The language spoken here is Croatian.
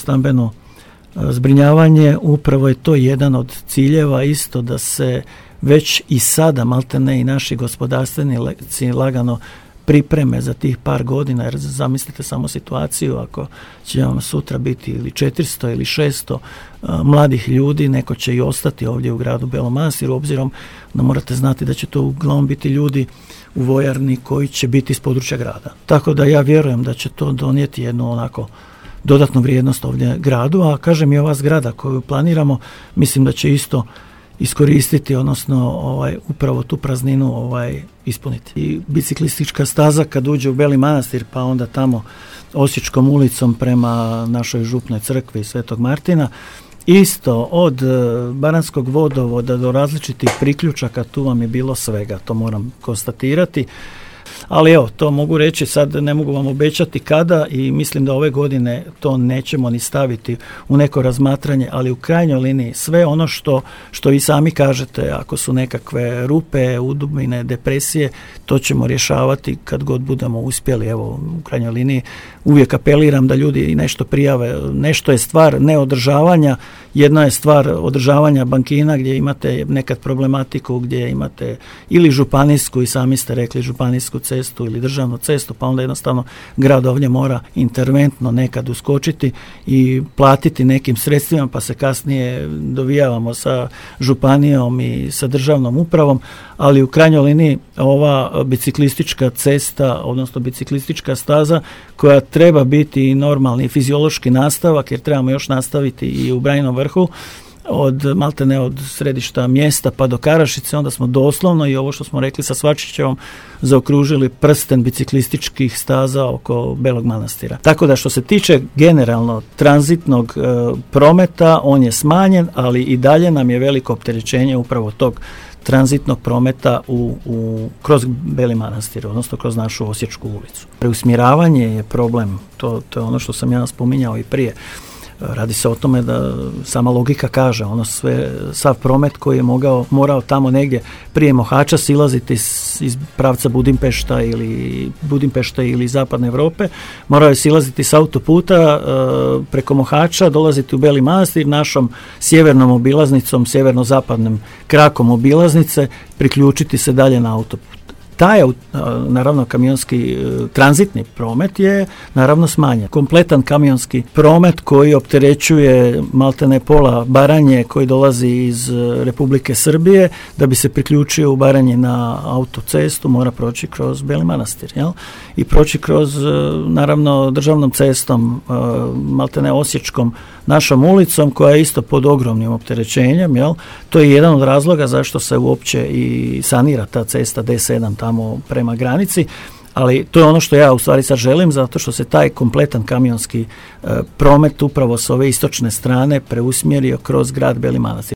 Stambeno zbrinjavanje, upravo je to jedan od ciljeva isto da se već i sada maltene i naši gospodarstvenici lagano pripreme za tih par godina, jer zamislite samo situaciju ako će vam sutra biti ili 400 ili 600 mladih ljudi, neko će i ostati ovdje u gradu Belom Manastiru, obzirom da morate znati da će to uglavnom biti ljudi u vojarni koji će biti iz područja grada. Tako da ja vjerujem da će to donijeti jednu onako dodatnu vrijednost ovdje gradu, a kažem i ova zgrada koju planiramo, mislim da će isto iskoristiti, odnosno upravo tu prazninu ispuniti. I biciklistička staza kad uđe u Beli Manastir, pa onda tamo Osječkom ulicom prema našoj župnoj crkvi Svetog Martina, isto od Baranskog vodovoda do različitih priključaka, tu vam je bilo svega, to moram konstatirati. Ali evo, to mogu reći, sad ne mogu vam obećati kada i mislim da ove godine to nećemo ni staviti u neko razmatranje, ali u krajnjoj liniji sve ono što i sami kažete, ako su nekakve rupe, udubine, depresije, to ćemo rješavati kad god budemo uspjeli. Evo, u krajnjoj liniji uvijek apeliram da ljudi nešto prijave. Nešto je stvar neodržavanja, jedna je stvar održavanja bankina gdje imate nekad problematiku, gdje imate ili županijsku, i sami ste rekli županijsku cestu ili državnu cestu, pa onda jednostavno grad ovdje mora interventno nekad uskočiti i platiti nekim sredstvima, pa se kasnije dovijavamo sa županijom i sa državnom upravom, ali u krajnjoj liniji ova biciklistička cesta, odnosno biciklistička staza koja treba biti normalni fiziološki nastavak, jer trebamo još nastaviti i u Brajnom vrhu, maltene od središta mjesta pa do Karašice, onda smo doslovno i ovo što smo rekli sa Svačićevom zaokružili prsten biciklističkih staza oko Belog Manastira. Tako da što se tiče generalno tranzitnog prometa, on je smanjen, ali i dalje nam je veliko opterećenje upravo tog tranzitnog prometa kroz Beli Manastir, odnosno kroz našu Osječku ulicu. Preusmjeravanje je problem, to je ono što sam ja spominjao i prije. Radi se o tome da sama logika kaže, sav promet koji je morao tamo negdje prije Mohača silaziti iz pravca Budimpešte ili Zapadne Europe, morao je silaziti s autoputa preko Mohača, dolaziti u Beli Manastir, našom sjevernom obilaznicom, sjeverno-zapadnim krakom obilaznice, priključiti se dalje na autoput. Taj, naravno, kamionski tranzitni promet je naravno smanjen. Kompletan kamionski promet koji opterećuje maltene pola Baranje, koji dolazi iz Republike Srbije, da bi se priključio u Baranje na autocestu, mora proći kroz Beli Manastir, jel? I proći kroz, naravno, državnom cestom, maltene Osječkom, našom ulicom, koja je isto pod ogromnim opterećenjem, jel? To je jedan od razloga zašto se uopće i sanira ta cesta D7 tamo prema granici, ali to je ono što ja u stvari sad želim, zato što se taj kompletan kamionski promet upravo s ove istočne strane preusmjerio kroz grad Beli Manastir.